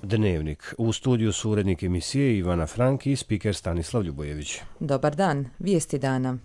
Dnevnik. U studiju su urednik emisije Ivana Frank i spiker Stanislav Ljubojević. Dobar dan, vijesti dana.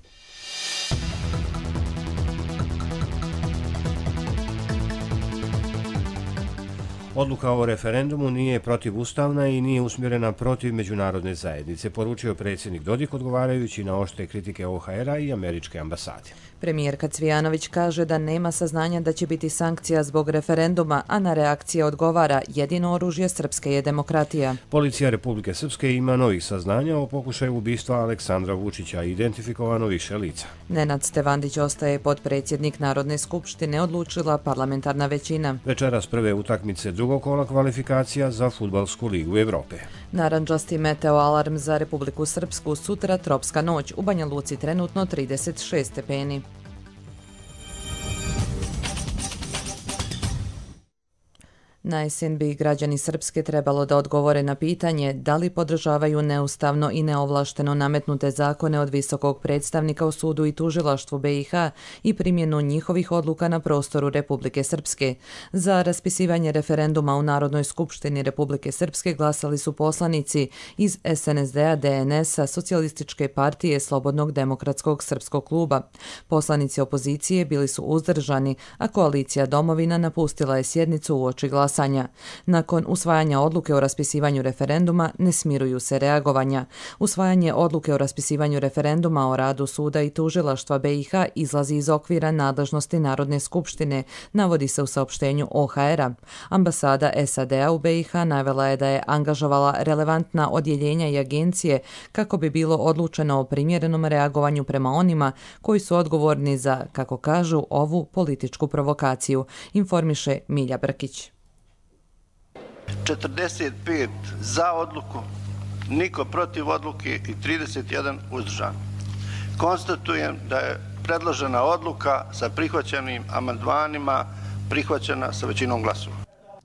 Odluka o referendumu nije protivustavna i nije usmjerena protiv međunarodne zajednice, poručio predsjednik Dodik odgovarajući na oštre kritike OHR-a i američke ambasade. Premijerka Cvijanović kaže da nema saznanja da će biti sankcija zbog referenduma, a na reakcije odgovara: jedino oružje srpske je demokratija. Policija Republike Srpske ima novih saznanja o pokušaju ubistva Aleksandra Vučića, identifikovano više lica. Nenad Stevandić ostaje potpredsjednik Narodne skupštine, odlučila parlamentarna većina. Večeras prve utakmice drugog kola kvalifikacija za Fudbalsku ligu Evrope. Narandžasti meteo alarm za Republiku Srpsku, sutra tropska noć, u Banja Luci trenutno 36 stepeni. Na jesen bi građani Srpske trebalo da odgovore na pitanje da li podržavaju neustavno i neovlašteno nametnute zakone od visokog predstavnika u sudu i tužilaštvu BiH i primjenu njihovih odluka na prostoru Republike Srpske. Za raspisivanje referenduma u Narodnoj skupštini Republike Srpske glasali su poslanici iz SNSD-a, DNS-a, Socijalističke partije, Slobodnog demokratskog srpskog kluba. Poslanici opozicije bili su uzdržani, a koalicija Domovina napustila je sjednicu uoči glasanja. Nakon usvajanja odluke o raspisivanju referenduma ne smiruju se reagovanja. Usvajanje odluke o raspisivanju referenduma o radu suda i tužilaštva BiH izlazi iz okvira nadležnosti Narodne skupštine, navodi se u saopštenju OHR-a. Ambasada SAD-a u BiH navela je da je angažovala relevantna odjeljenja i agencije kako bi bilo odlučeno o primjerenom reagovanju prema onima koji su odgovorni za, kako kažu, ovu političku provokaciju, informiše Milja Brkić. 45 za odluku, niko protiv odluke i 31 uzdržan. Konstatujem da je predložena odluka sa prihvaćenim amandmanima prihvaćena sa većinom glasova.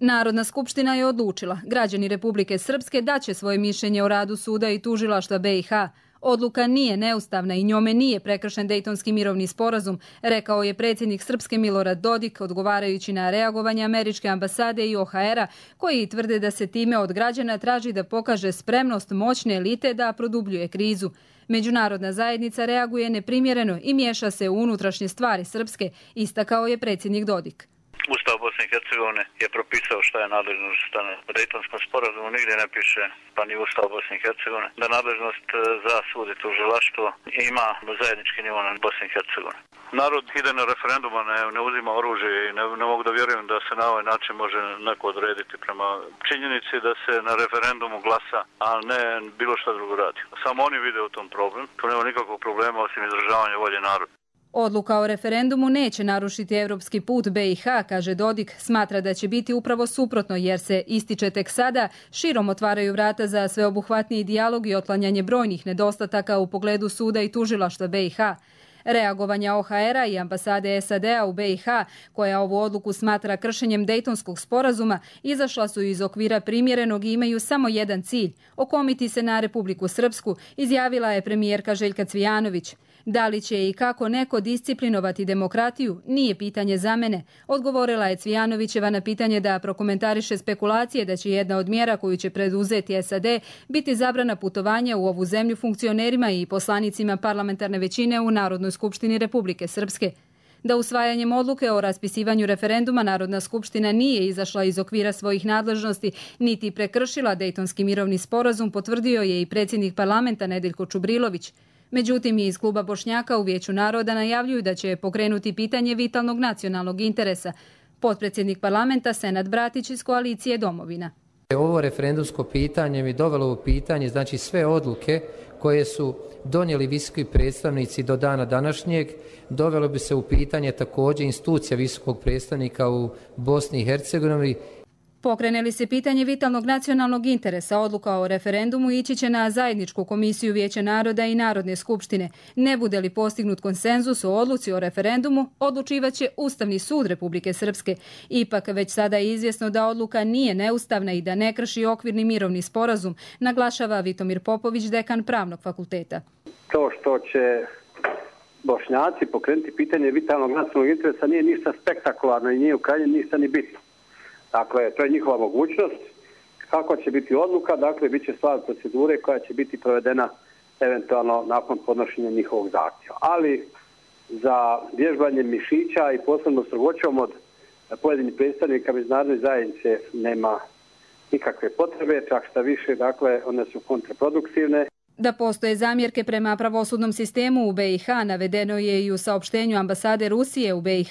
Narodna skupština je odlučila. Građani Republike Srpske daće svoje mišljenje o radu suda i tužilaštva BiH. Odluka nije neustavna i njome nije prekršen Dejtonski mirovni sporazum, rekao je predsjednik Srpske Milorad Dodik, odgovarajući na reagovanje američke ambasade i OHR-a, koji tvrde da se time od građana traži da pokaže spremnost moćne elite da produbljuje krizu. Međunarodna zajednica reaguje neprimjereno i miješa se u unutrašnje stvari Srpske, istakao je predsjednik Dodik. Ustav Bosne i Hercegovine je propisao šta je nadležnost u Dejtonskom sporazumu, nigdje ne piše, pa ni Ustav Bosne i Hercegovine, da nadležnost za sud i tužilaštvo ima zajednički nivo na Bosne i Hercegovine. Narod ide na referenduma, ne uzima oružje i ne mogu da vjerujem da se na ovaj način može neko odrediti prema činjenici da se na referendumu glasa, a ne bilo šta drugo radi. Samo oni vide u tom problem, tu nema nikakvog problema osim izražavanja volje naroda. Odluka o referendumu neće narušiti evropski put BiH, kaže Dodik, smatra da će biti upravo suprotno jer se, ističe tek sada, širom otvaraju vrata za sveobuhvatniji dijalog i otklanjanje brojnih nedostataka u pogledu suda i tužilaštva BiH. Reagovanja OHR-a i ambasade SAD-a u BiH, koja ovu odluku smatra kršenjem Dejtonskog sporazuma, izašla su iz okvira primjerenog i imaju samo jedan cilj – okomiti se na Republiku Srpsku, izjavila je premijerka Željka Cvijanović. Da li će i kako neko disciplinovati demokratiju, nije pitanje za mene, odgovorila je Cvijanovićeva na pitanje da prokomentariše spekulacije da će jedna od mjera koju će preduzeti SAD biti zabrana putovanja u ovu zemlju funkcionerima i poslanicima parlamentarne većine u Narodnoj skupštini Republike Srpske. Da usvajanjem odluke o raspisivanju referenduma Narodna skupština nije izašla iz okvira svojih nadležnosti niti prekršila Dejtonski mirovni sporazum, potvrdio je i predsjednik parlamenta Nedeljko Čubrilović. Međutim, iz kluba Bošnjaka u Vijeću naroda najavljuju da će pokrenuti pitanje vitalnog nacionalnog interesa. Potpredsjednik parlamenta Senad Bratić iz koalicije Domovina. Ovo referendumsko pitanje mi dovelo u pitanje, znači sve odluke koje su donijeli visoki predstavnici do dana današnjeg, dovelo bi se u pitanje također institucija visokog predstavnika u Bosni i Hercegovini. Pokrene li se pitanje vitalnog nacionalnog interesa, odluka o referendumu ići će na zajedničku komisiju Vijeća naroda i Narodne skupštine. Ne bude li postignut konsenzus o odluci o referendumu, odlučivaće Ustavni sud Republike Srpske. Ipak već sada je izvjesno da odluka nije neustavna i da ne krši okvirni mirovni sporazum, naglašava Vitomir Popović, dekan Pravnog fakulteta. To što će Bošnjaci pokrenuti pitanje vitalnog nacionalnog interesa nije ništa spektakularno i nije u krajnjem ništa ni bitno. Dakle, to je njihova mogućnost, Kako će biti odluka, dakle, bit će stvar procedure koja će biti provedena eventualno nakon podnošenja njihovog zahtjeva. Ali za vježbanje mišića i posebno strogoćom od pojedinih predstavnika međunarodne zajednice nema nikakve potrebe, čak šta više, dakle, one su kontraproduktivne. Da postoje zamjerke prema pravosudnom sistemu u BiH navedeno je i u saopštenju ambasade Rusije u BiH.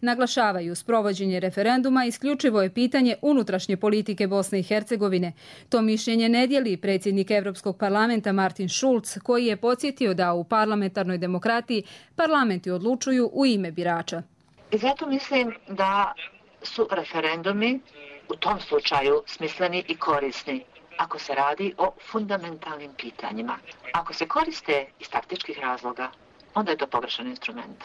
Naglašavaju, sprovođenje referenduma isključivo je pitanje unutrašnje politike Bosne i Hercegovine. To mišljenje ne dijeli predsjednik Europskog parlamenta Martin Schulz, koji je podsjetio da u parlamentarnoj demokratiji parlamenti odlučuju u ime birača. I zato mislim da su referendumi u tom slučaju smisleni i korisni ako se radi o fundamentalnim pitanjima. Ako se koriste iz taktičkih razloga, onda je to pogrešan instrument.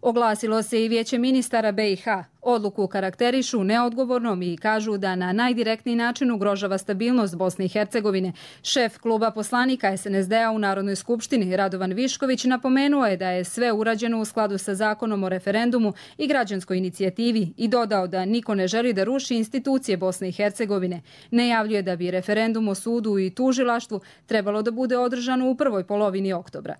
Oglasilo se i Vijeće ministara BiH. Odluku karakterišu neodgovornom i kažu da na najdirektniji način ugrožava stabilnost Bosne i Hercegovine. Šef kluba poslanika SNSD-a u Narodnoj skupštini Radovan Višković napomenuo je da je sve urađeno u skladu sa zakonom o referendumu i građanskoj inicijativi i dodao da niko ne želi da ruši institucije Bosne i Hercegovine. Najavljuje da bi referendum o sudu i tužilaštvu trebalo da bude održano u prvoj polovini oktobra.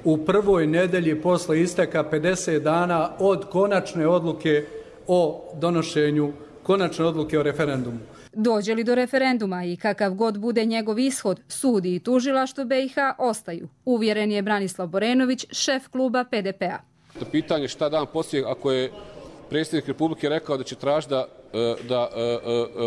U prvoj nedelji posle isteka 50 dana od konačne odluke o donošenju konačne odluke o referendumu. Dođe li do referenduma i kakav god bude njegov ishod, sud i tužilaštvo BiH ostaju. Uvjeren je Branislav Borenović, šef kluba PDP-a. Pitanje šta dan poslije, ako je predsjednik Republike rekao da će tražiti da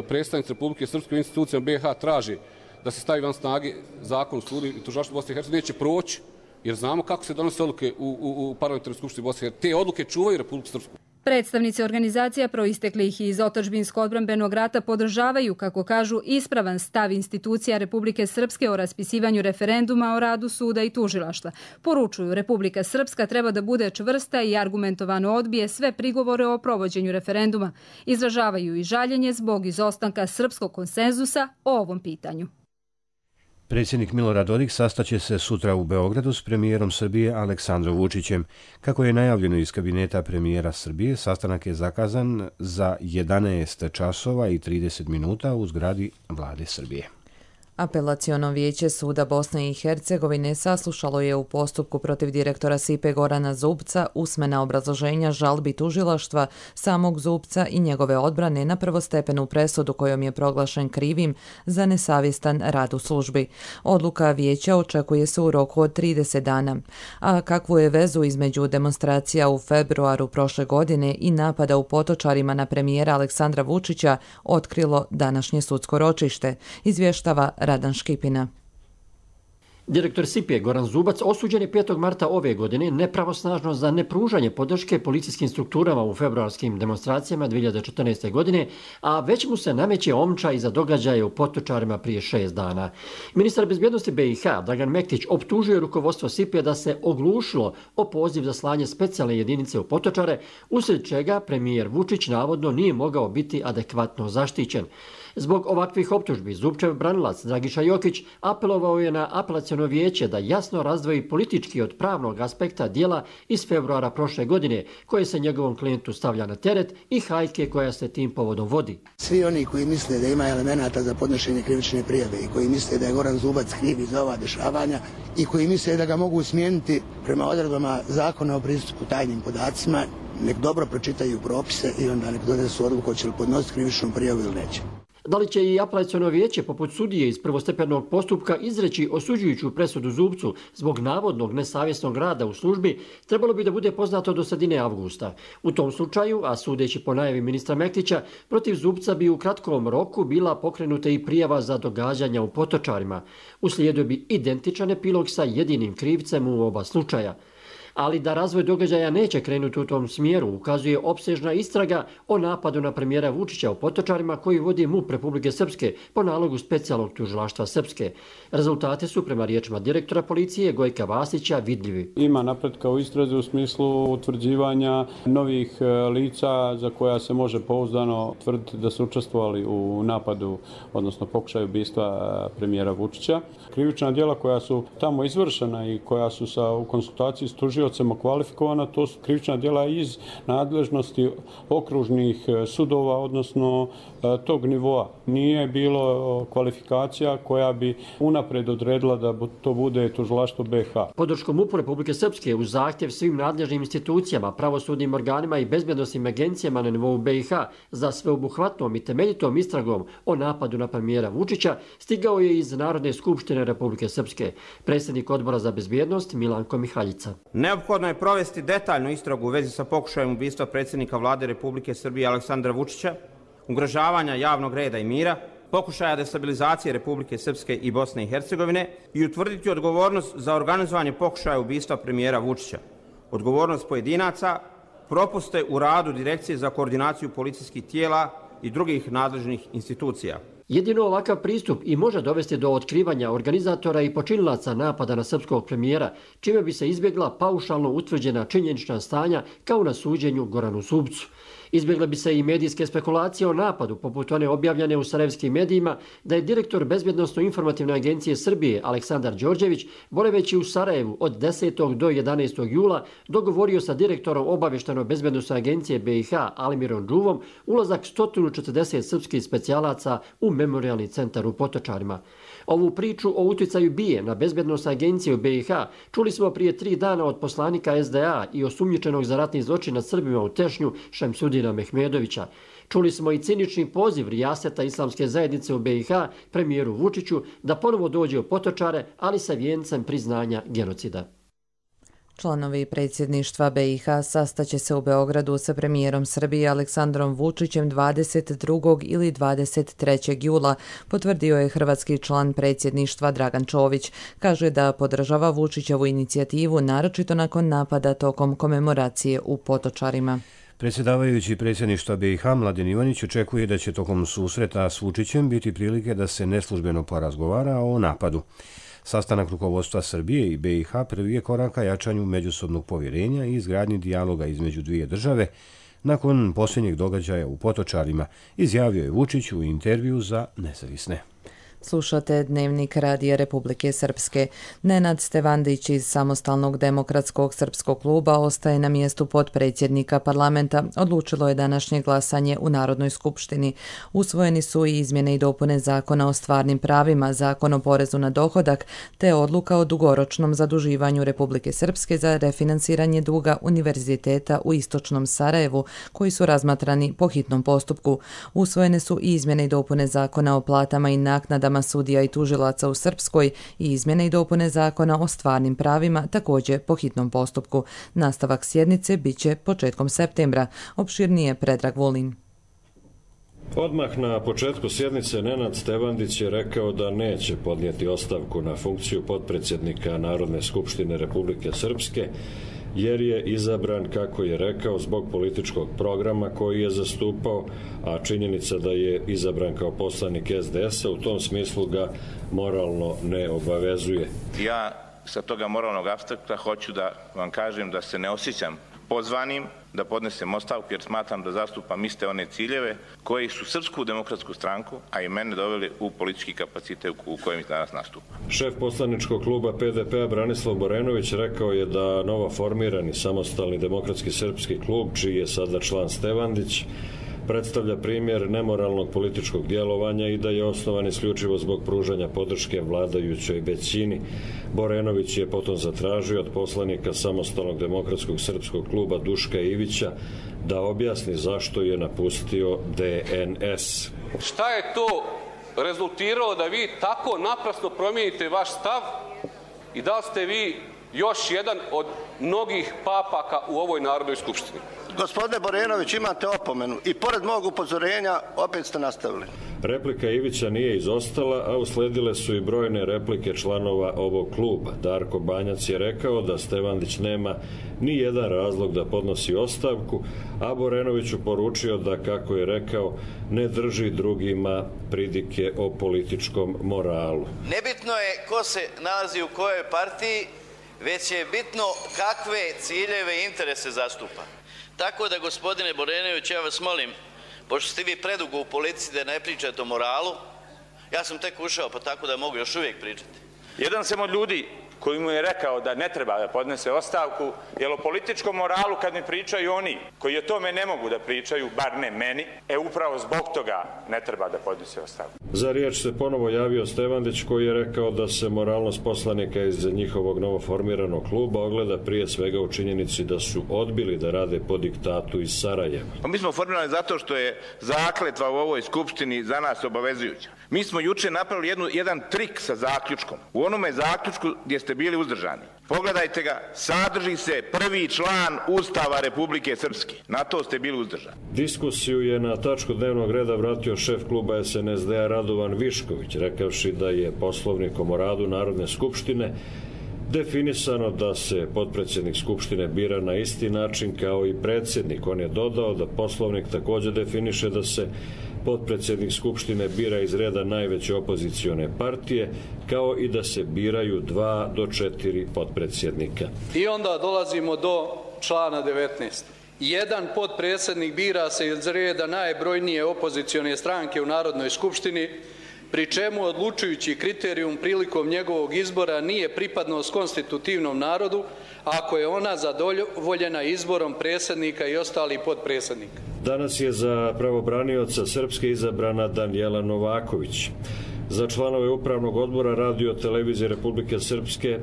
predstavnici Republike Srpske u institucijama BiH traži da se stavi van snage zakon o sudu i tužilaštvu Bosne i Hercegovine, neće proći. Jer znamo kako se donose odluke u parlamentarnoj skupštini Bosne i Hercegovine. Te odluke čuvaju Republiku Srpsku. Predstavnici organizacija proisteklih iz otadžbinsko-odbrambenog rata podržavaju, kako kažu, ispravan stav institucija Republike Srpske o raspisivanju referenduma o radu suda i tužilaštva. Poručuju, Republika Srpska treba da bude čvrsta i argumentovano odbije sve prigovore o provođenju referenduma. Izražavaju i žaljenje zbog izostanka srpskog konsenzusa o ovom pitanju. Predsjednik Milorad Dodik sastaće se sutra u Beogradu s premijerom Srbije Aleksandrom Vučićem. Kako je najavljeno iz kabineta premijera Srbije, sastanak je zakazan za 11 časova i 30 minuta u zgradi Vlade Srbije. Apelaciono vijeće Suda Bosne i Hercegovine saslušalo je u postupku protiv direktora SIPE Gorana Zubca usmena obrazloženja žalbi tužilaštva samog Zubca i njegove odbrane na prvostepenu presudu kojom je proglašen krivim za nesavjestan rad u službi. Odluka vijeća očekuje se u roku od 30 dana. A kakvu je vezu između demonstracija u februaru prošle godine i napada u Potočarima na premijera Aleksandra Vučića otkrilo današnje sudsko ročište, izvještava Radan Škipina. Direktor SIPE Goran Zubac osuđen je 5. marta ove godine nepravosnažno za nepružanje podrške policijskim strukturama u februarskim demonstracijama 2014. godine, a već mu se nameće omča za događaje u Potočarima prije 6 dana. Ministar bezbjednosti BiH Dragan Mektić optužuje rukovodstvo SIPE da se oglušilo o poziv za slanje specijalne jedinice u Potočare, usred čega premijer Vučić navodno nije mogao biti adekvatno zaštićen. Zbog ovakvih optužbi Zubčev branilac Dragiša Jokić apelovao je na apelaciono vijeće da jasno razdvoji politički od pravnog aspekta djela iz februara prošle godine koje se njegovom klijentu stavlja na teret i hajke koja se tim povodom vodi. Svi oni koji misle da ima elemenata za podnošenje krivične prijave i koji misle da je Goran Zubac kriv za ova dešavanja i koji misle da ga mogu smijeniti prema odredbama zakona o pristupu tajnim podacima, nek dobro pročitaju propise i onda nek donesu odluku hoće li podnositi krivičnu prijavu ili neće. Da li će i apelaciono vijeće poput sudije iz prvostepenog postupka izreći osuđujuću presudu Zubcu zbog navodnog nesavjesnog rada u službi, trebalo bi da bude poznato do sredine avgusta. U tom slučaju, a sudeći po najavi ministra Mektića, protiv Zubca bi u kratkom roku bila pokrenuta i prijava za događanja u Potočarima. Uslijedio bi identičan epilog sa jedinim krivcem u oba slučaja. Ali da razvoj događaja neće krenuti u tom smjeru, ukazuje opsežna istraga o napadu na premijera Vučića u Potočarima koji vodi MUP Republike Srpske po nalogu specijalnog tužilaštva Srpske. Rezultate su prema riječima direktora policije Gojka Vasića vidljivi. Ima napretka u istrazi u smislu utvrđivanja novih lica za koja se može pouzdano tvrditi da su učestvovali u napadu, odnosno pokušaju ubistva premijera Vučića. Krivična djela koja su tamo izvršena i koja su u konsultaciji s tužiocima tužiocima kvalifikovana, to su krivična djela iz nadležnosti okružnih sudova, odnosno tog nivoa. Nije bilo kvalifikacija koja bi unapred odredila da to bude tužilaštvo BiH. Podrškom MUP-u Republike Srpske uz zahtjev svim nadležnim institucijama, pravosudnim organima i bezbednosnim agencijama na nivou BiH za sveobuhvatnom i temeljitom istragom o napadu na premijera Vučića stigao je iz Narodne skupštine Republike Srpske predsjednik Odbora za bezbjednost Milanko Mihaljica. Neophodno je provesti detaljnu istragu u vezi sa pokušajem ubistva predsjednika Vlade Republike Srbije Aleksandra Vučića, ugrožavanja javnog reda i mira, pokušaja destabilizacije Republike Srpske i Bosne i Hercegovine i utvrditi odgovornost za organizovanje pokušaja ubistva premijera Vučića, odgovornost pojedinaca, propuste u radu Direkcije za koordinaciju policijskih tijela i drugih nadležnih institucija. Jedino ovakav pristup i može dovesti do otkrivanja organizatora i počinilaca napada na srpskog premijera, čime bi se izbjegla paušalno utvrđena činjenična stanja kao na suđenju Goranu Zubcu. Izbjegle bi se i medijske spekulacije o napadu, poput one objavljene u sarajevskim medijima, da je direktor Bezbjednosno-informativne agencije Srbije Aleksandar Đorđević, boraveći u Sarajevu od 10. do 11. jula, dogovorio sa direktorom Obavještajno-bezbjednosne agencije BiH Alimirom Džuvom ulazak 140 srpskih specijalaca u memorijalni centar u Potočarima. Ovu priču o utjecaju BIA na bezbjednosnu agenciju BiH čuli smo prije 3 dana od poslanika SDA i osumnjičenog za ratni zločin nad Srbima u Tešnju Šemsudina Mehmedovića. Čuli smo i cinični poziv rijaseta islamske zajednice u BiH premijeru Vučiću da ponovo dođe u Potočare, ali sa vijencem priznanja genocida. Članovi predsjedništva BiH sastaće se u Beogradu sa premijerom Srbije Aleksandrom Vučićem 22. ili 23. jula, potvrdio je hrvatski član predsjedništva Dragan Čović. Kaže da podržava Vučićevu inicijativu, naročito nakon napada tokom komemoracije u Potočarima. Predsjedavajući predsjedništva BiH Mladen Ivanić očekuje da će tokom susreta s Vučićem biti prilike da se neslužbeno porazgovara o napadu. Sastanak rukovodstva Srbije i BiH prvi je korak ka jačanju međusobnog povjerenja i izgradnji dijaloga između dvije države nakon posljednjeg događaja u Potočarima, izjavio je Vučić u intervju za Nezavisne. Slušate Dnevnik Radija Republike Srpske. Nenad Stevandić iz Samostalnog demokratskog srpskog kluba ostaje na mjestu potpredsjednika parlamenta. Odlučilo je današnje glasanje u Narodnoj skupštini. Usvojeni su i izmjene i dopune Zakona o stvarnim pravima, Zakon o porezu na dohodak, te odluka o dugoročnom zaduživanju Republike Srpske za refinansiranje duga Univerziteta u Istočnom Sarajevu, koji su razmatrani po hitnom postupku. Usvojene su i izmjene i dopune Zakona o platama i naknadama sudija i tužilaca u Srpskoj i izmjene i dopune Zakona o stvarnim pravima, također po hitnom postupku. Nastavak sjednice biće početkom septembra. Opširnije Predrag Vulin. Odmah na početku sjednice Nenad Stevandić je rekao da neće podnijeti ostavku na funkciju potpredsjednika Narodne skupštine Republike Srpske, jer je izabran, kako je rekao, zbog političkog programa koji je zastupao, a činjenica da je izabran kao poslanik SDS-a u tom smislu ga moralno ne obavezuje. Ja sa toga moralnog aspekta hoću da vam kažem da se ne osjećam pozvanim da podnesem ostavku, jer smatram da zastupam iste one ciljeve koji su Srpsku demokratsku stranku, a i mene doveli u politički kapacitet u kojem danas nastupa. Šef poslaničkog kluba PDP-a Branislav Borenović rekao je da novo formirani Samostalni demokratski srpski klub, čiji je sada član Stevandić, predstavlja primjer nemoralnog političkog djelovanja i da je osnovan isključivo zbog pružanja podrške vladajućoj većini. Borenović je potom zatražio od poslanika Samostalnog demokratskog srpskog kluba Duška Ivića da objasni zašto je napustio DNS. Šta je to rezultiralo da vi tako naprasno promijenite vaš stav i da li ste vi još jedan od mnogih papaka u ovoj Narodnoj skupštini? Gospodine Borenović, imate opomenu i pored mog upozorenja opet ste nastavili. Replika Ivića nije izostala, a usledile su i brojne replike članova ovog kluba. Darko Banjac je rekao da Stevandić nema ni jedan razlog da podnosi ostavku, a Borenoviću poručio da, kako je rekao, ne drži drugima pridike o političkom moralu. Nebitno je ko se nalazi u kojoj partiji, već je bitno kakve ciljeve i interese zastupa. Tako da, gospodine Borenović, ja vas molim, pošto ste vi predugo u politici da ne pričate o moralu, ja sam tek ušao, pa tako da mogu još uvijek pričati. Jedan sam od ljudi koji mu je rekao da ne treba da podnese ostavku, jer o političkom moralu kad mi pričaju oni koji o tome ne mogu da pričaju, bar ne meni, upravo zbog toga ne treba da podnese ostavku. Za riječ se ponovo javio Stevandić koji je rekao da se moralnost poslanika iz njihovog novoformiranog kluba ogleda prije svega u činjenici da su odbili da rade po diktatu iz Sarajeva. Mi smo formirani zato što je zakletva u ovoj skupštini za nas obavezujuća. Mi smo juče napravili jedan trik sa zaključkom. U onome zaključku gdje ste bili uzdržani. Pogledajte ga, sadrži se prvi član Ustava Republike Srpske. Na to ste bili uzdržani. Diskusiju je na tačku dnevnog reda vratio šef kluba SNSD-a Radovan Višković, rekavši da je poslovnikom o radu Narodne skupštine definisano da se potpredsjednik Skupštine bira na isti način kao i predsjednik. On je dodao da poslovnik također definiše da se potpredsjednik Skupštine bira iz reda najveće opozicione partije, kao i da se biraju 2 do 4 potpredsjednika. I onda dolazimo do člana 19. Jedan potpredsjednik bira se iz reda najbrojnije opozicione stranke u Narodnoj skupštini, pri čemu odlučujući kriterijum prilikom njegovog izbora nije pripadnost konstitutivnom narodu, ako je ona zadovoljena izborom predsjednika i ostalih potpredsjednika. Danas je za pravobranioca Srpske izabrana Danijela Novaković. Za članove Upravnog odbora Radio televizije Republike Srpske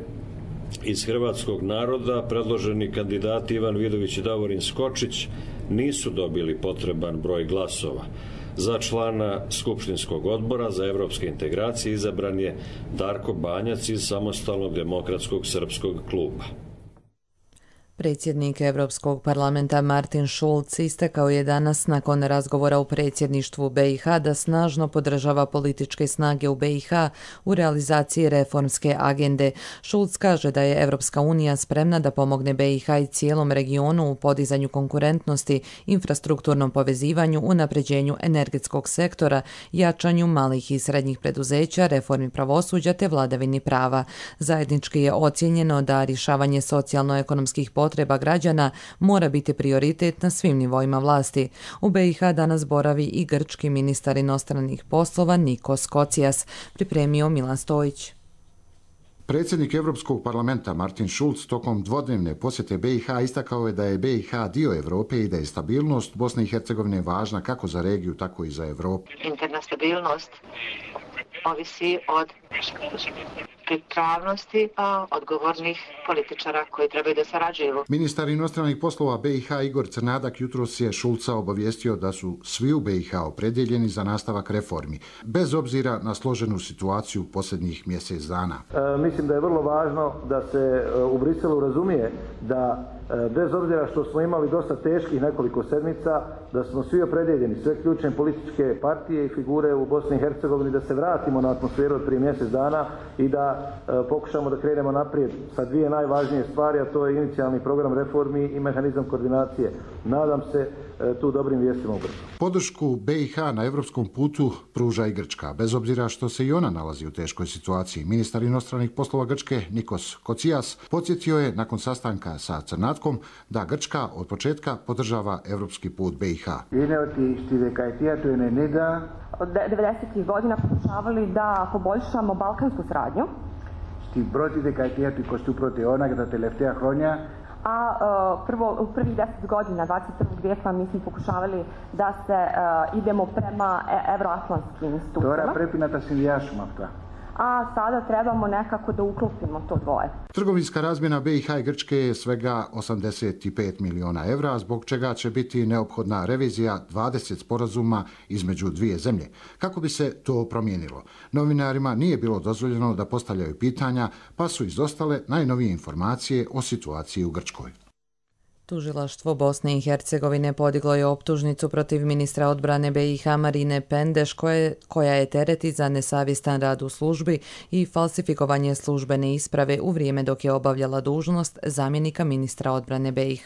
iz hrvatskog naroda predloženi kandidati Ivan Vidović i Davorin Skočić nisu dobili potreban broj glasova. Za člana Skupštinskog odbora za evropske integracije izabran je Darko Banjac iz Samostalnog demokratskog srpskog kluba. Predsjednik Europskog parlamenta Martin Schulz istakao je danas nakon razgovora u predsjedništvu BiH da snažno podržava političke snage u BiH u realizaciji reformske agende. Schulz kaže da je Europska unija spremna da pomogne BiH i cijelom regionu u podizanju konkurentnosti, infrastrukturnom povezivanju, unapređenju energetskog sektora, jačanju malih i srednjih preduzeća, reformi pravosuđa te vladavini prava. Zajednički je ocijenjeno da rješavanje socijalno-ekonomskih potreba građana mora biti prioritet na svim nivoima vlasti. U BiH danas boravi i grčki ministar inostranih poslova Nikos Kocijas, pripremio Milan Stojić. Predsjednik Europskog parlamenta Martin Schulz tokom dvodnevne posjete BiH istakao je da je BiH dio Europe i da je stabilnost Bosne i Hercegovine važna kako za regiju, tako i za Europu. Interna stabilnost ovisi od pripravnosti odgovornih političara koji trebaju da sarađuju. Ministar inostranih poslova BiH Igor Crnadak jutros je Schulza obavijestio da su svi u BiH opredjeljeni za nastavak reformi, bez obzira na složenu situaciju posljednjih mjesec dana. Mislim da je vrlo važno da se u Briselu razumije da bez obzira što smo imali dosta teških nekoliko sedmica, da smo svi opredjeljeni, sve ključne političke partije i figure u Bosni i Hercegovini, da se vratimo na atmosferu od prije mjesec dana i da pokušamo da krenemo naprijed sa dvije najvažnije stvari, a to je inicijalni program reformi i mehanizam koordinacije. Nadam se tu dobrim vijestima ubrzo. Podršku BiH na evropskom putu pruža i Grčka, bez obzira što se i ona nalazi u teškoj situaciji. Ministar inostranih poslova Grčke Nikos Kocijas podsjetio je nakon sastanka sa Crnatkom da Grčka od početka podržava evropski put BiH. Od 90. godina pokušavali da poboljšamo balkansku saradnju. A u prvih 10 godina 21. vijeka mi smo pokušavali da se idemo prema evroatlantskim institucijama. A sada trebamo nekako da uklopimo to dvoje. Trgovinska razmjena BiH i Grčke je svega 85 miliona evra, zbog čega će biti neophodna revizija 20 sporazuma između dvije zemlje. Kako bi se to promijenilo? Novinarima nije bilo dozvoljeno da postavljaju pitanja, pa su izostale najnovije informacije o situaciji u Grčkoj. Tužilaštvo Bosne i Hercegovine podiglo je optužnicu protiv ministra odbrane BiH Marine Pendeš koja je tereti za nesavjestan rad u službi i falsifikovanje službene isprave u vrijeme dok je obavljala dužnost zamjenika ministra odbrane BiH.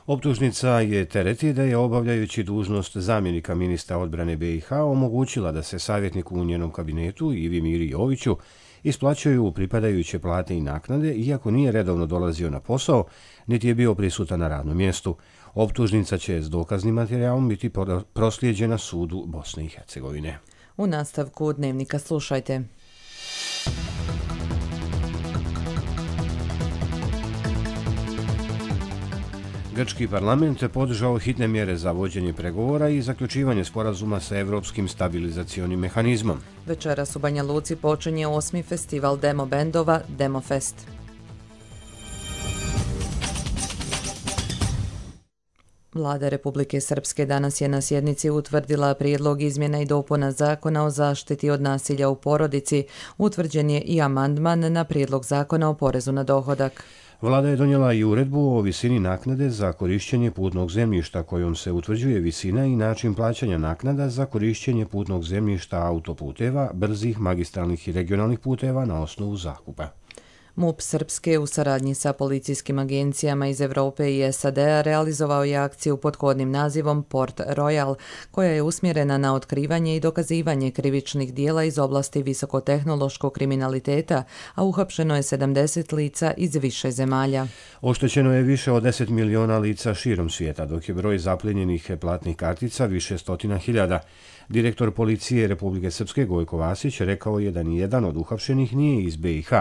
Optužnica je tereti da je obavljajući dužnost zamjenika ministra odbrane BiH omogućila da se savjetniku u njenom kabinetu Ivi Miri Joviću isplaćuju pripadajuće plate i naknade, iako nije redovno dolazio na posao, niti je bio prisutan na radnom mjestu. Optužnica će s dokaznim materijalom biti proslijeđena sudu Bosne i Hercegovine. U nastavku dnevnika slušajte. Grčki parlament podržao hitne mjere za vođenje pregovora i zaključivanje sporazuma sa Evropskim stabilizacionim mehanizmom. Večeras u Banja Luci počinje 8. festival demo bendova Demofest. Vlada Republike Srpske danas je na sjednici utvrdila prijedlog izmjena i dopuna Zakona o zaštiti od nasilja u porodici. Utvrđen je i amandman na prijedlog Zakona o porezu na dohodak. Vlada je donijela i uredbu o visini naknade za korišćenje putnog zemljišta kojom se utvrđuje visina i način plaćanja naknada za korišćenje putnog zemljišta autoputeva, brzih, magistralnih i regionalnih puteva na osnovu zakupa. MUP Srpske u saradnji sa policijskim agencijama iz Evrope i SAD-a realizovao je akciju pod kodnim nazivom Port Royal, koja je usmjerena na otkrivanje i dokazivanje krivičnih dijela iz oblasti visokotehnološkog kriminaliteta, a uhapšeno je 70 lica iz više zemalja. Oštećeno je više od 10 miliona lica širom svijeta, dok je broj zapljenjenih platnih kartica više stotina hiljada. Direktor policije Republike Srpske Gojko Vasić rekao je da nijedan od uhapšenih nije iz BiH,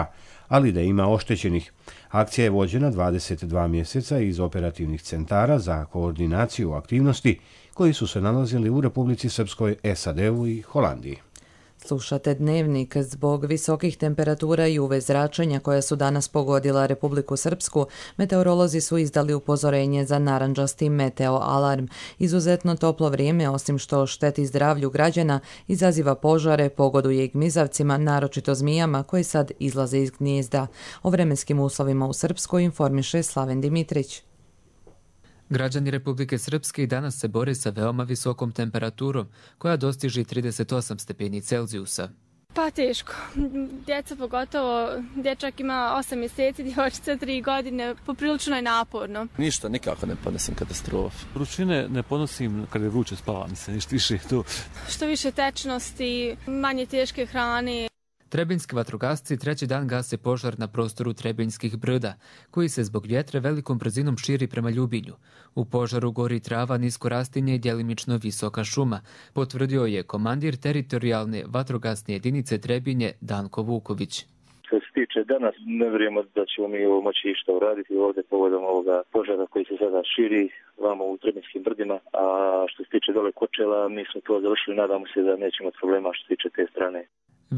ali da ima oštećenih. Akcija je vođena 22 mjeseca iz operativnih centara za koordinaciju aktivnosti koji su se nalazili u Republici Srpskoj, SAD-u i Holandiji. Slušate Dnevnik. Zbog visokih temperatura i UV zračenja koja su danas pogodila Republiku Srpsku, meteorolozi su izdali upozorenje za narandžasti meteo alarm. Izuzetno toplo vrijeme, osim što šteti zdravlju građana, izaziva požare, pogoduje i gmizavcima, naročito zmijama koji sad izlaze iz gnijezda. O vremenskim uslovima u Srpskoj informiše Slaven Dimitrić. Građani Republike Srpske i danas se bore sa veoma visokom temperaturom, koja dostiže 38 stepeni Celzijusa. Pa teško. Djeca pogotovo, dječak ima 8 mjeseci, djevojčica 3 godine, poprilično je naporno. Ništa, nikako ne podnosim katastrofu. Vrućine ne podnosim kad je vruće, spava mi se, ništa više tu. Što više tečnosti, manje teške hrane. Trebinjski vatrogasci treći dan gase požar na prostoru Trebinjskih brda, koji se zbog vjetra velikom brzinom širi prema Ljubinju. U požaru gori trava, nisko rastinje i djelimično visoka šuma, potvrdio je komandir teritorijalne vatrogasne jedinice Trebinje Danko Vuković. Što se tiče danas, ne vjerujemo da ćemo mi ovo moći išta uraditi ovdje povodom ovoga požara koji se sada širi vamo u Trebinjskim brdima, a što se tiče dole Kočela, mi smo to završili, nadamo se da nećemo imati problema što se tiče te strane.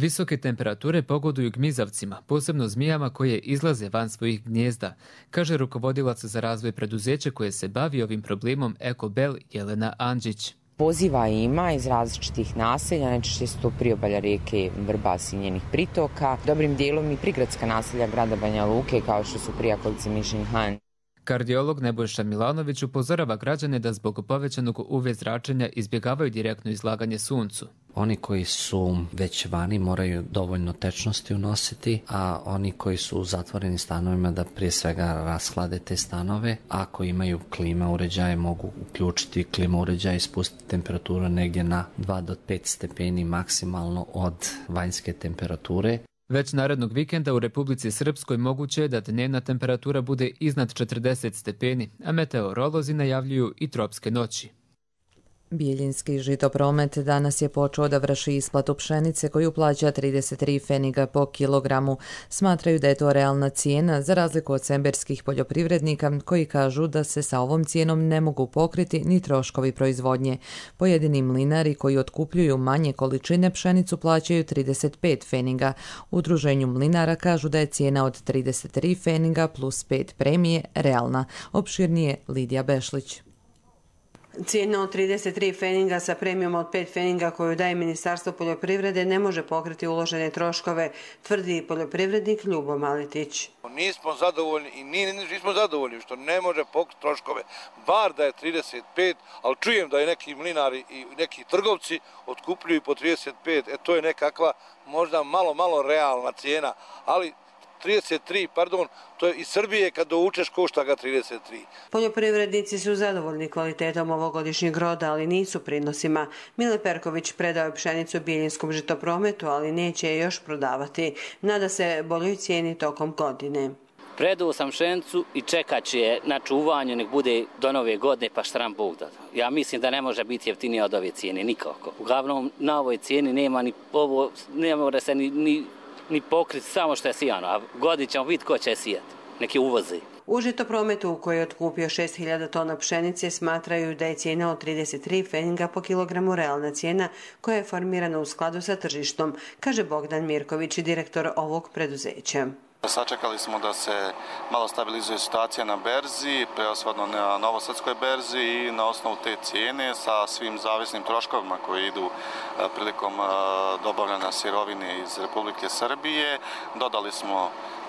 Visoke temperature pogoduju gmizavcima, posebno zmijama koje izlaze van svojih gnijezda, kaže rukovodilac za razvoj preduzeća koje se bavi ovim problemom Ekobel Jelena Andžić. Poziva ima iz različitih naselja, najčešće su to priobalja rijeke Vrbas i njenih pritoka, dobrim dijelom i prigradska naselja grada Banja Luke kao što su Prijakolice, Mišin Han. Kardiolog Nebojša Milanović upozorava građane da zbog povećanog UV zračenja izbjegavaju direktno izlaganje suncu. Oni koji su već vani moraju dovoljno tečnosti unositi, a oni koji su u zatvorenim stanovima da prije svega rashlade te stanove. Ako imaju klima uređaje, mogu uključiti klima uređaje i spustiti temperaturu negdje na 2 do 5 stepeni maksimalno od vanjske temperature. Već narednog vikenda u Republici Srpskoj moguće je da dnevna temperatura bude iznad 40 stepeni, a meteorolozi najavljuju i tropske noći. Bijeljinski žitopromet danas je počeo da vrši isplatu pšenice koju plaća 33 pfeniga po kilogramu. Smatraju da je to realna cijena za razliku od semberskih poljoprivrednika koji kažu da se sa ovom cijenom ne mogu pokriti ni troškovi proizvodnje. Pojedini mlinari koji otkupljuju manje količine pšenicu plaćaju 35 pfeniga. U udruženju mlinara kažu da je cijena od 33 pfeniga plus 5 premije realna. Opširnije Lidija Bešlić. Cijena od 33 pfeniga sa premijom od 5 pfeniga koju daje Ministarstvo poljoprivrede ne može pokriti uložene troškove, tvrdi poljoprivrednik Ljubo Maletić. Nismo zadovoljni i nismo zadovoljni što ne može pokriti troškove, bar da je 35, ali čujem da je neki mlinari i neki trgovci otkupljuju po 35, to je nekakva možda malo realna cijena, ali 33, to je iz Srbije kad doučeš košta ga 33. Poljoprivrednici su zadovoljni kvalitetom ovogodišnjeg roda, ali nisu prinosima. Mile Perković predao je pšenicu Bijeljinskom žitoprometu, ali neće je još prodavati. Nada se boljoj cijeni tokom godine. Predao sam pšenicu i čekat će je na čuvanju, nek bude do nove godine pa štram Bog da. Ja mislim da ne može biti jeftinija od ove cijene, nikako. Uglavnom na ovoj cijeni nema ni ovo, ne mora se ni pokriti samo što je sijano, a godin ćemo vidjeti ko će sijati, neki uvozi. U Žitoprometu, koji je otkupio 6.000 tona pšenice, smatraju da je cijena od 33 pfeninga po kilogramu realna cijena koja je formirana u skladu sa tržištom, kaže Bogdan Mirković, direktor ovog preduzeća. Sačekali smo da se malo stabilizuje situacija na berzi, preosvodno na novosadskoj berzi i na osnovu te cijene sa svim zavisnim troškovima koji idu prilikom dobavljanja sirovine iz Republike Srbije. Dodali smo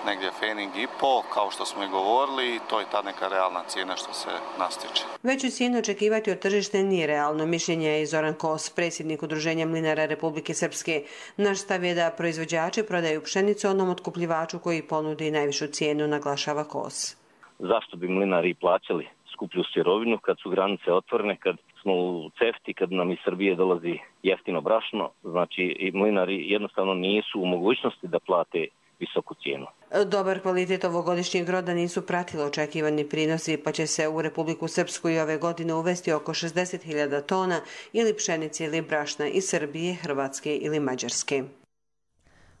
negdje pfening i po, kao što smo i govorili, i to je ta neka realna cijena što se nastiče. Veću cijenu očekivati od tržišta nije realno, mišljenje je i Zoran Kos, predsjednik Udruženja mlinara Republike Srpske. Naš stav je da proizvođači prodaju pšenicu onom otkupljivaču koji ponudi najvišu cijenu, naglašava Kos. Zašto bi mlinari plaćali skuplju sirovinu kad su granice otvorene, kad smo u CEFTA-i, kad nam iz Srbije dolazi jeftino brašno, znači i mlinari jednostavno nisu u mogućnosti da plate visoku cijenu. Dobar kvalitet ovogodišnjeg roda nisu pratili očekivani prinosi, pa će se u Republiku Srpsku i ove godine uvesti oko 60.000 tona ili pšenice ili brašna iz Srbije, Hrvatske ili Mađarske.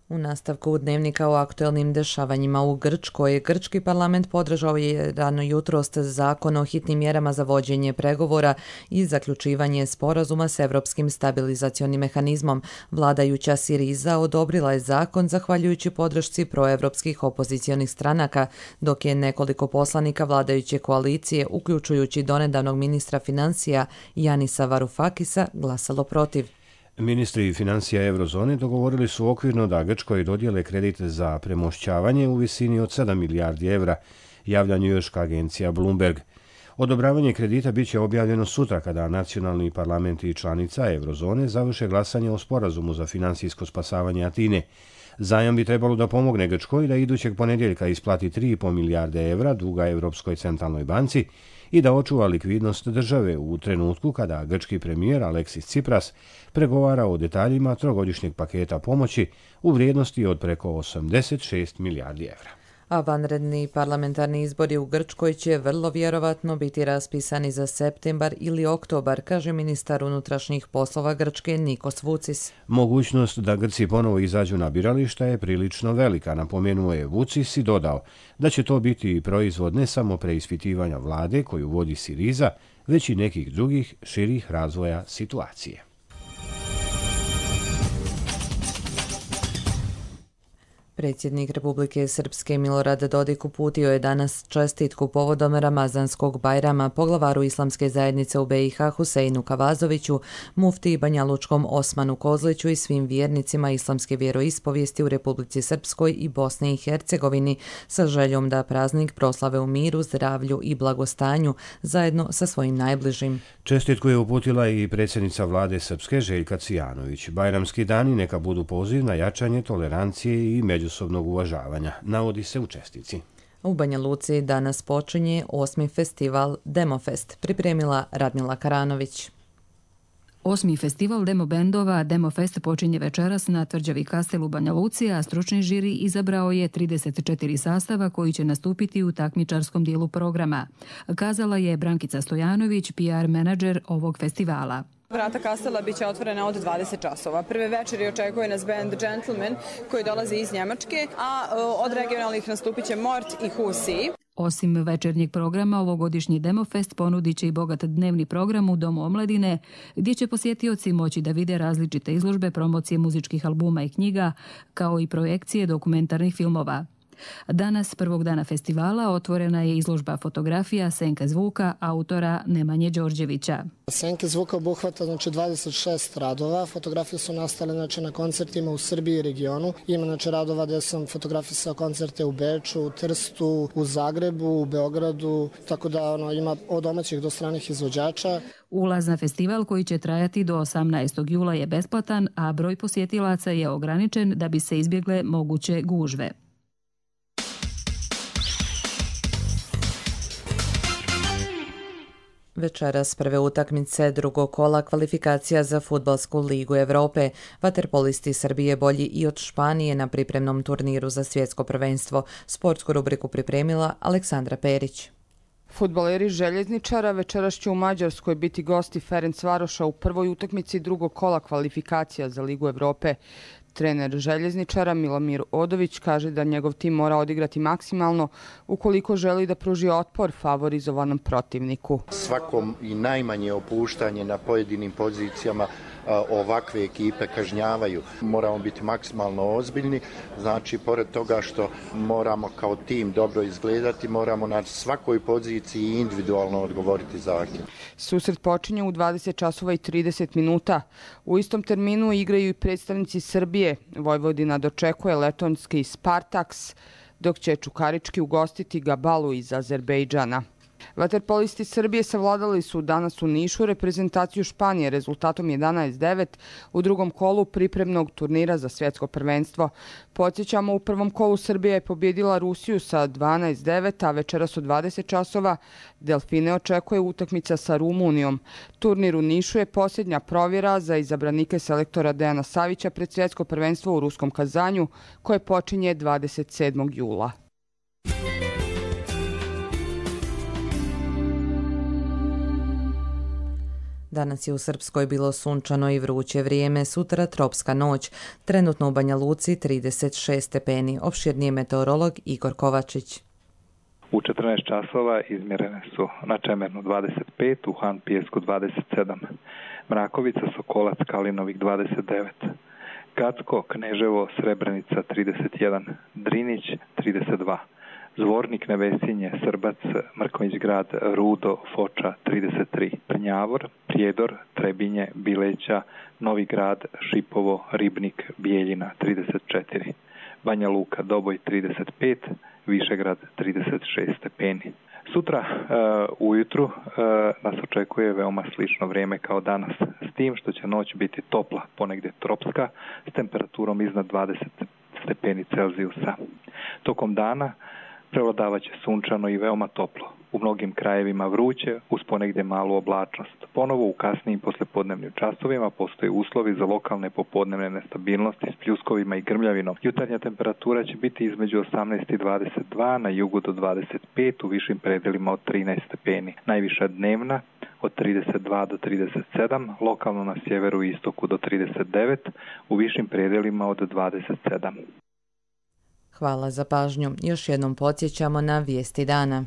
U nastavku dnevnika o aktuelnim dešavanjima u Grčkoj, grčki parlament podržao je rano jutros zakon o hitnim mjerama za vođenje pregovora i zaključivanje sporazuma s Evropskim stabilizacionim mehanizmom. Vladajuća Siriza odobrila je zakon zahvaljujući podršci proevropskih opozicionih stranaka, dok je nekoliko poslanika vladajuće koalicije, uključujući donedavnog ministra financija Janisa Varoufakisa, glasalo protiv. Ministri financija Eurozone dogovorili su okvirno da Grčkoj dodijele kredit za premošćavanje u visini od 7 milijardi evra, javlja njujorška agencija Bloomberg. Odobravanje kredita bit će objavljeno sutra kada nacionalni parlamenti i članica Eurozone završe glasanje o sporazumu za financijsko spasavanje Atine. Zajam bi trebalo da pomogne Grčkoj da idućeg ponedjeljka isplati 3,5 milijarde evra duga Europskoj centralnoj banci i da očuva likvidnost države u trenutku kada grčki premijer Aleksis Tsipras pregovara o detaljima trogodišnjeg paketa pomoći u vrijednosti od preko 86 milijardi evra. A vanredni parlamentarni izbori u Grčkoj će vrlo vjerovatno biti raspisani za septembar ili oktobar, kaže ministar unutrašnjih poslova Grčke Nikos Vucis. Mogućnost da Grci ponovo izađu na birališta je prilično velika, napomenuo je Vucis i dodao da će to biti proizvod ne samo preispitivanja vlade koju vodi Siriza, već i nekih drugih širih razvoja situacije. Predsjednik Republike Srpske Milorad Dodik uputio je danas čestitku povodom Ramazanskog Bajrama poglavaru islamske zajednice u BiH Huseinu Kavazoviću, muftiji Banjalučkom Osmanu Kozliću i svim vjernicima islamske vjeroispovijesti u Republici Srpskoj i Bosni i Hercegovini sa željom da praznik proslave u miru, zdravlju i blagostanju zajedno sa svojim najbližim. Čestitku je uputila i predsjednica vlade Srpske Željka Cvijanović. Bajramski dani neka budu poziv na jačanje tolerancije i međusobnog uvažavanja, navodi se u čestitci. U Banja Luci danas počinje 8. festival Demofest, pripremila Radmila Karanović. 8. festival demo bendova Demofest počinje večeras na tvrđavi Kastel u Banja Luci, a stručni žiri izabrao je 34 sastava koji će nastupiti u takmičarskom dijelu programa, kazala je Brankica Stojanović, PR menadžer ovog festivala. Vrata Kastela biće otvorena od 20 časova. Prve večeri očekuje nas band Gentleman koji dolazi iz Njemačke, a od regionalnih nastupit će Mort i Husi. Osim večernjeg programa, ovogodišnji Demofest ponudit će i bogat dnevni program u Domu omladine, gdje će posjetioci moći da vide različite izložbe, promocije muzičkih albuma i knjiga, kao i projekcije dokumentarnih filmova. Danas, prvog dana festivala, otvorena je izložba fotografija Senke zvuka autora Nemanje Đorđevića. Senke zvuka obuhvata 26 radova. Fotografije su nastale na koncertima u Srbiji i regionu. Ima radova gdje sam fotografisao koncerte u Beču, u Trstu, u Zagrebu, u Beogradu, tako da ima od domaćih do stranih izvođača. Ulaz na festival koji će trajati do 18. jula je besplatan, a broj posjetilaca je ograničen da bi se izbjegle moguće gužve. Večeras prve utakmice drugog kola kvalifikacija za Fudbalsku ligu Evrope. Vaterpolisti Srbije bolji i od Španije na pripremnom turniru za svjetsko prvenstvo. Sportsku rubriku pripremila Aleksandra Perić. Fudbaleri Željezničara večeras će u Mađarskoj biti gosti Ferencvaroša u prvoj utakmici drugog kola kvalifikacija za Ligu Evrope. Trener željezničara Milomir Odović kaže da njegov tim mora odigrati maksimalno ukoliko želi da pruži otpor favorizovanom protivniku. Svakom i najmanje opuštanje na pojedinim pozicijama ovakve ekipe kažnjavaju. Moramo biti maksimalno ozbiljni, znači pored toga što moramo kao tim dobro izgledati, moramo na svakoj poziciji individualno odgovoriti zahtjev. Susret počinje u 20 časova i 30 minuta. U istom terminu igraju i predstavnici Srbije. Vojvodina dočekuje letonski Spartaks, dok će Čukarički ugostiti Gabalu iz Azerbejdžana. Vaterpolisti Srbije savladali su danas u Nišu reprezentaciju Španije rezultatom 11-9 u drugom kolu pripremnog turnira za svjetsko prvenstvo. Podsjećamo, u prvom kolu Srbija je pobjedila Rusiju sa 12-9, a večeras u 20 časova Delfine očekuje utakmica sa Rumunijom. Turnir u Nišu je posljednja provjera za izabranike selektora Dejana Savića pred svjetsko prvenstvo u ruskom Kazanju, koje počinje 27. jula. Danas je u Srpskoj bilo sunčano i vruće vrijeme, sutra tropska noć, trenutno u Banja Luci 36 stepeni. Opširniji meteorolog Igor Kovačić. U 14 časova izmjerene su na Čemernu 25, u Han Pijesku 27, Mrakovica, Sokolac, Kalinovik 29, Gacko, Kneževo, Srebrenica 31, Drinić 32, Zvornik, Nevesinje, Srbac, Mrkonjić grad, Rudo, Foča 33, Prnjavor, Prijedor, Trebinje, Bileća, Novi grad, Šipovo, Ribnik, Bijeljina 34, Banja Luka, Doboj 35, Višegrad 36 stepeni. Sutra ujutru nas očekuje veoma slično vrijeme kao danas, s tim što će noć biti topla, ponegdje tropska, s temperaturom iznad 20 stepeni Celzijusa. Tokom dana prevladavat će sunčano i veoma toplo. U mnogim krajevima vruće, uz ponegdje malu oblačnost. Ponovo u kasnijim poslijepodnevnim časovima postoje uslovi za lokalne popodnevne nestabilnosti s pljuskovima i grmljavinom. Jutarnja temperatura će biti između 18 i 22, na jugu do 25, u višim predelima od 13 stepeni. Najviša dnevna od 32 do 37, lokalno na sjeveru i istoku do 39, u višim predelima od 27. Hvala za pažnju. Još jednom podsjećamo na vijesti dana.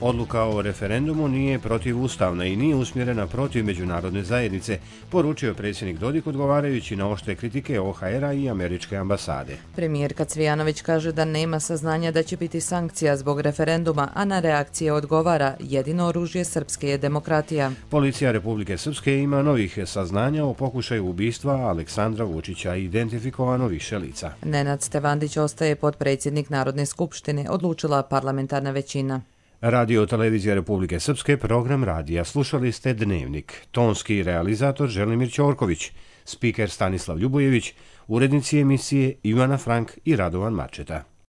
Odluka o referendumu nije protivustavna i nije usmjerena protiv međunarodne zajednice, poručio predsjednik Dodik odgovarajući na oštre kritike OHR-a i američke ambasade. Premijerka Cvijanović kaže da nema saznanja da će biti sankcija zbog referenduma, a na reakcije odgovara: jedino oružje srpske je demokratija. Policija Republike Srpske ima novih saznanja o pokušaju ubistva Aleksandra Vučića, identifikovano više lica. Nenad Stevandić ostaje potpredsjednik Narodne skupštine, odlučila parlamentarna većina. Radio Televizija Republike Srpske, program radija. Slušali ste Dnevnik. Tonski realizator Želimir Ćorković, spiker Stanislav Ljubojević, urednici emisije Ivana Frank i Radovan Mačeta.